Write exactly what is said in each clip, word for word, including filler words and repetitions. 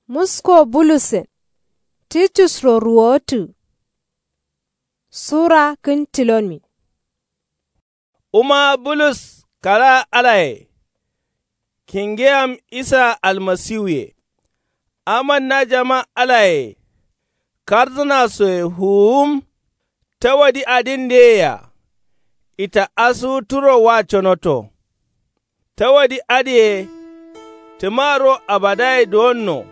Musko bulusen titusro ruwotǝ. Sura kǝn tilonmi. Wuma bulus kara alaye. Kingeyam isa almasiwuye. Amanna jama alaye. Karzǝnasoye fuwum. Tawadi adin ndeyea. Ita asuwu turo wa conoto. Tawadi adǝye. Tǝma ro abadaye duwonno.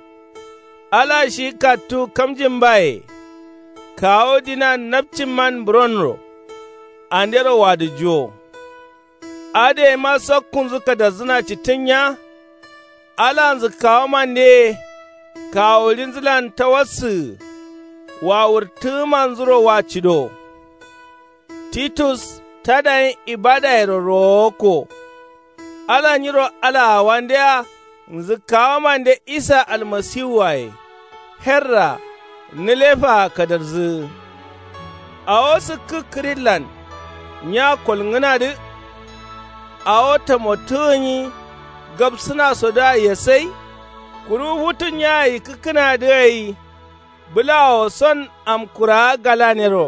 Ala shi kattu kamjin baye. Kawu dinan napcin man buronro. Andero wadǝ juwo. Adǝ yema sakkunzǝ kadarzǝna cittǝn nya. Alanzǝ kawumande. Kawulinzǝlan tawassǝgǝ. Wawurtǝgǝmanzuro wa cido. Titus tadayin ibadayero rowokko. Ala nyiro alaawandeya. Nzǝkkawamande isa almasiwuwaye. Herra nǝlefaa kadarzǝgǝ. Awo sǝkkǝ kǝrillan nya kolngǝnadǝ. Awo tamottǝgǝnyi gabsǝnasodǝa yesai. Kuru futu nyaa yikkǝkkǝnadǝ gai. Bǝlawo son amkurawa galanero.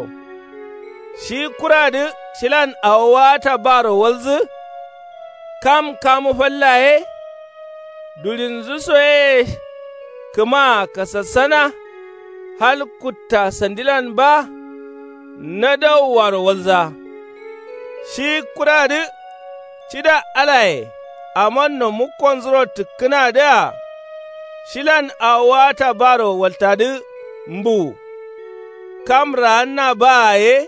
Shi kuradǝ shilan awo wata baro walzǝ. Kam kamu falla ye. Dulinzǝ so ye. Kǝmaa kasassana. Hal kutta sandilan ba. Nadawuwaro walza. Shi kuradǝ cida alaye. Amanno mukkonzuro tǝkkǝnadǝa. Shilan awo wata baro waltadǝ mbuwu. Kam raanna baa ye.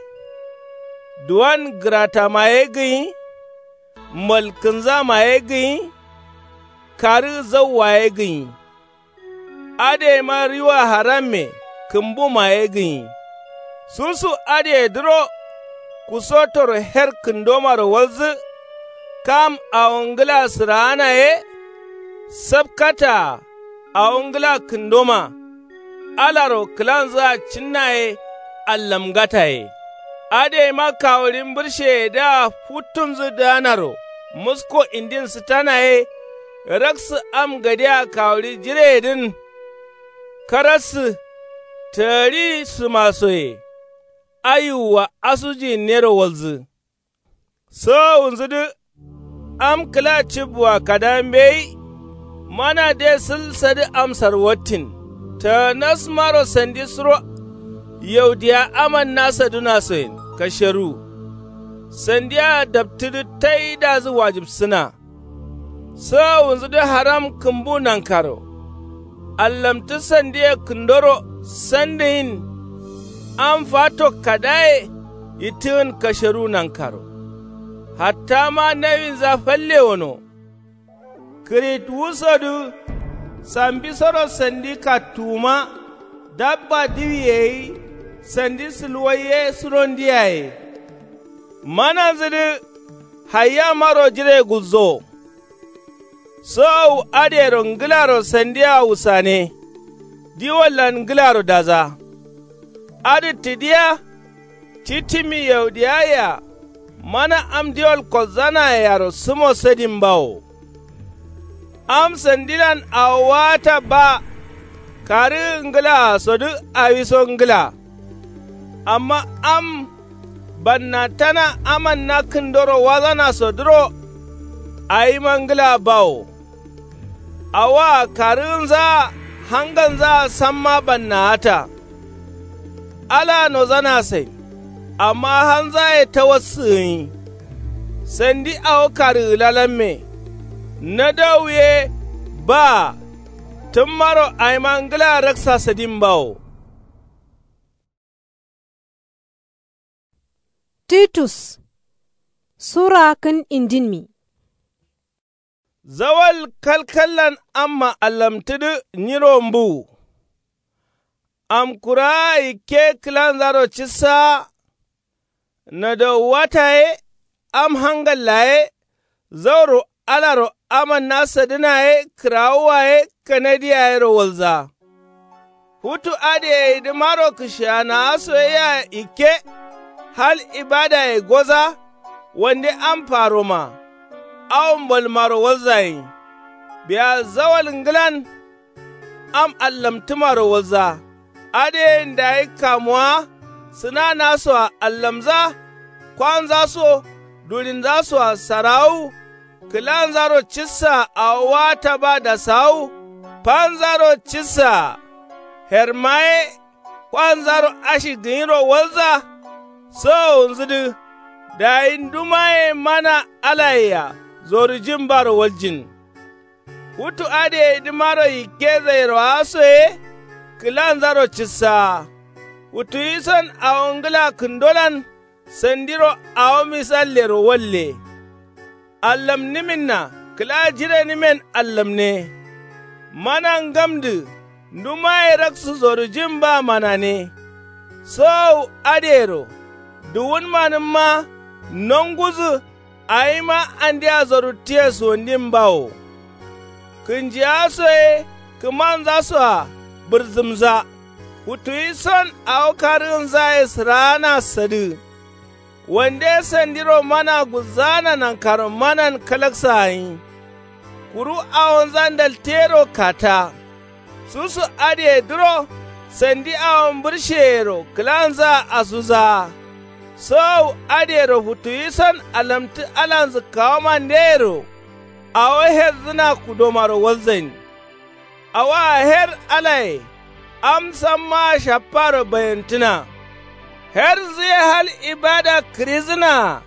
Duwan gǝratama ye gǝnyi. Malkǝnzama ye gǝnyi. Karǝ zauwa ye gǝnyi. Adǝ yema riwa haramme kǝmbuma ye gǝnyi. Susu adǝyedǝro. Kusotoro her kǝndomaro walzǝ. Kam awo ngǝla sǝraana ye. Sapkataa awo ngǝla kǝndoma. Alaro kǝlanzǝa cinna ye. Allamngata ye. Adǝ yema kawuri mbǝrsheyedǝa futtunzǝ dǝganaro. Musko indin sǝtana ye. Raksǝ am gadea kawuri jireyedǝn. Karassǝ tǝgǝri sǝmasoye. Ayiwua asujinnero walzǝ. Sowowunzudǝ. Am kǝla cibbuwa kada mbeyi. Mana de sǝl sadǝ amsar wattin. Tanasmaro sandi suro. Yaudiya amanna sadunasoyen kasheru. Sandia daptǝdǝ taidazǝ wajibsǝna. Sowowunzudǝ haram kǝmbu nankaro. Allamtǝ sandiye kǝndoro sandǝgin. Am fato kadaye yittǝgǝn kasheru nankaro. Hattama nawinza falle wono. Kǝritwusodǝ sambisoro sandi kattuwuma. Dabba diwiye gai sandi sǝlwai ye surondiyaye. Mananzudǝ hayyamaro jire gulzowo. Sowowu adǝyero ngǝlaro sandia wusane. Diwallan ngǝlaro daza. Adǝ tǝdiya. Citimi yaudiyayea. Mana am diwal kolzanayero sǝmo sadin bawo. Am sandilan awo wata ba. Karǝgǝ ngǝlaasodǝ awiso ngǝla. Amma am bannatana amanna kǝndoro wazanasodǝro. Awima ngǝla bawo. Awoa karǝgǝnzaa hangalnzaa samma bannawata. Alaa nozanasain. Amma halnzaye tawassǝgǝnyi. Sandi awo karǝgǝlalamme. Nadawu ye baa. Tǝmmaro awima ngǝla raksa sadin bawo. Titus sura kǝn indinmi. Zawal kalkallan amma allamtǝdǝ nyiro mbuwu. Amkurawa yikke kǝlanzaro cissawa. Nadawuwata ye am hangalla ye. Zauro alaro amanna sadǝna ye kǝrawuwa ye kanadi yayero walza. Futu adǝ yeyidǝmaro kǝshiyanawa soyea yikke. Hal ibadaye goza. Wande am faroma. Awo mbolmaro walzayin. Biya zawal ngǝlan. am allamtǝmaro walza. Adǝyen dayi kamuwa sǝnanasoa allamza. Kwanzaso durinzasoa sarawu. Kǝlanzaro cissa awo wata ba dasawu. Fanzaro cissa hermaye. Kwanzaro ashi gǝnyiro walza. Sowowunzǝdǝ dayi ndumaye mana alayea zorujin baro waljin. Futu adǝyedǝmaro yikke zairo asoye. Kǝlanzaro cissawa futuwison awo ngǝla kǝndolan. Sandiro awo misallero walle. Allamnǝminna kǝla jirenǝmen allamne. Mana ngamdǝ ndumaye raksu zorujin ba manane. Sowowu adǝyero duwunmanǝmma nongudǝ. Awima andea zoruttiye suwandin bawo. Kǝnjiyaso ye kǝmanzasoa bǝrzǝmza. Futuwison awo karǝgǝnzaye sǝraana sadǝ. Wande sandiro mana gulzaana nankaro manan kalaksa gǝnyi. Kuru awonza ndaltero kata. Susu adǝyedǝro sandi awo mbǝrsheyero kǝlanzaa asuzawa. Sowowu adǝyero futuwison alamtǝ alanzǝkkawomandeyero. Awo herzǝna kudomaro walzain. Awoa her alaye am sammaa shapparo bayantǝna. Herzuye hal ibada kǝrizǝnaa.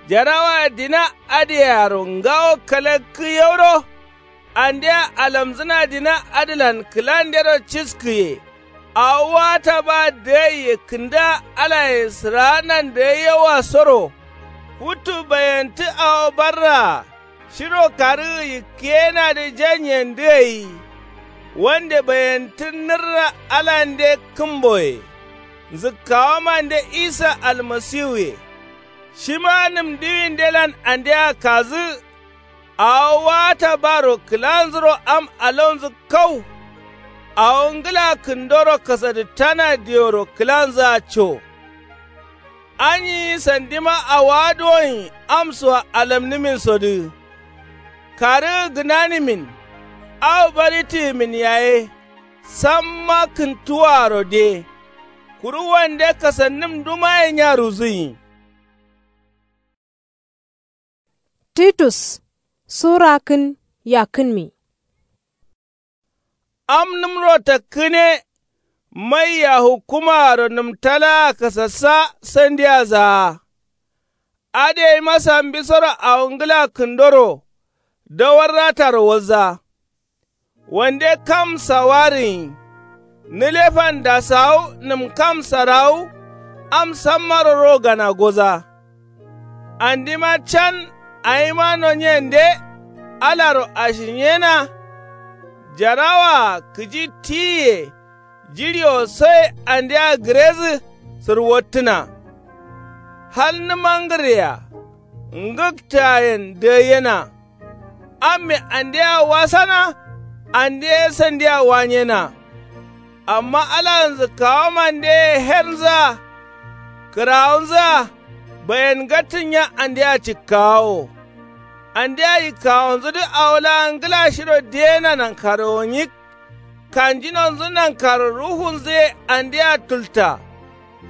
Jarawa dina adǝyearo ngawo kalakkǝ yauro. Andea alamzǝna dina adǝlan kǝlandero ciskǝye. Awo wata ba dǝgaiye kǝnda alaye sǝraanan dǝgaiyewa soro. Futu bayantǝ awo barraa. Shiro karǝgǝ yikkǝyenadǝ janyen dǝgai. Wande bayantǝ nǝrra alande kǝmboye. Nzǝkkawomande isa almasiwuye. Shima nǝm diwindelan andea kazǝ. Awo wata baro kǝlanzuro am alaunzǝ kau. Awo ngǝla kǝndoro kasadǝttana dioro kǝlanzǝa co. Anyi sandima awowa duwonyi amsoa alamnǝminsodǝ. Karǝgǝ gǝnanǝmin. Awo baritǝgǝmin yaye. Samma kǝntuwaaro de. Kuru wande kasannǝm ndumaye nyaruwuzǝnyi. Titus sura kǝn yakkǝnmi. Am nǝmro takkǝne. Maiya hukkumaaro nǝmtalaa kasassa sandiya zaa. Adǝ yeima sambisoro awo ngǝla kǝndoro. Dawar rataro walza. Wande kam sawarǝnyi. Nǝlefan dasawu nǝmkam sarawu. Am sammaro ro gana goza. Andima can awima nonyende. Alaro ashinyena. Jarawaa kǝji tiyiye. Jiɍiwo soye andea gǝrezǝ sǝrwottǝna. Hal nǝmangǝrrea. Ngǝktǝayen dǝgaiyena. Amme andea wasana. Ande ye sandia wanyena. Amma ala nzǝkkawomande ye hernzǝa. Kǝrawunzǝa. Bayen ngattǝnya andea cikkawawo. Andea yikkawonzudǝ awo laa ngǝla shiro diyena nankarowo nyik. Kanjinonzǝ nankaro ruhunzǝ ye andea tulta.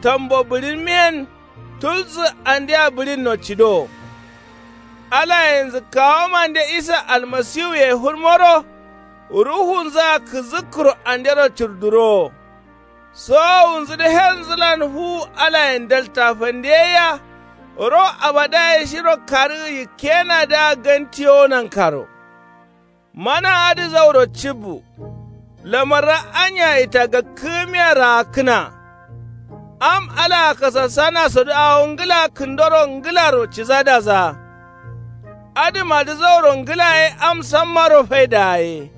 Tambo bǝɍinmiyen. Tulsǝ andea bǝɍinno cidowo. Alaye nzǝkkawomande isa almasiwuye fǝrmoro. Ruhunzǝa kǝzǝkkǝro andero curdurowo. Sowowunzudǝ hernzǝlan fuwu alayen dalta fandeyaiya. Ro abadaye shiro karǝgǝ yikkenadǝa gantiyowo nankaro. Mana adǝ zauro cibbu. Lamarra anya itagakkǝgǝmiya raakkǝna. Am alaa kasassanasodu awo ngǝla kǝndoro ngǝlaro cizadasa. Adǝmadǝ zauro ngǝla ye am sammaro faidaa ye.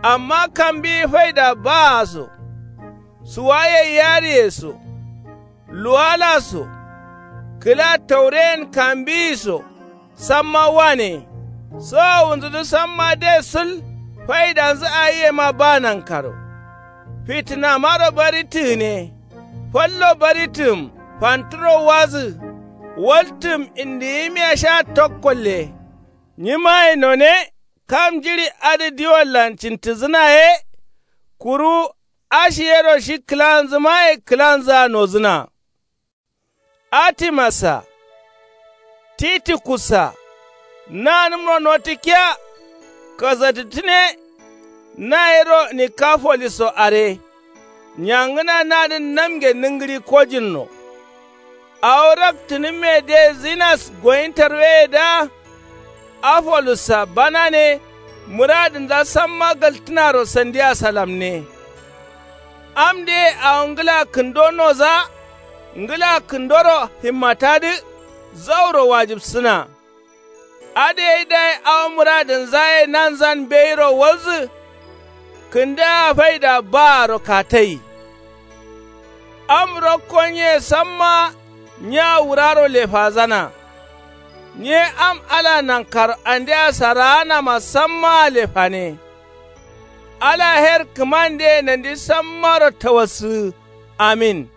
Amma kambiyi faida baa so. Suwaye yariye so. Luwala so. Kǝla taureyen kambiyi so. Samma wane. Sowowunzudǝ samma de sǝl. Faidanzǝ awi yema ba nankaro. Fitǝnamaro barittǝ gǝne. Fallo barittǝgǝm. Fantǝro wazǝ. Waltǝgǝm indiyimiya sha tokkolle. Nyimaye none. Kam jiɍi adǝ diwollan cintǝzǝna ye. Kuru ashi yero shi kǝlanzǝmaye kǝlanzǝa nozǝna. Atimassa, titikussa, nanǝmro notǝkkiya. Kasattǝtǝne. Nayero nikafolisso are. Nyangǝna nadǝn namge nǝngǝɍi kojinno. Awo raktǝnǝmme de zinas goyintarweyedǝa. Afolussa banane. Mǝradǝnza samma galtǝnaro sandia salamne. Am dǝye awo ngǝla kǝndo noza. Ngǝla kǝndoro himmatadǝ. Zauro wajǝbsǝna. Adǝ gai dayi awo mǝradǝnzaye nanzan mbeyiro walzǝ. Kǝndǝa faida baaro katai. Am rokko nye samma. Nya wuraro lefazana. Nye am ala nankaro andea saraanama sammaa lefane. Ala her kǝmandeye nandi sammaro tawassǝgǝ. Amin.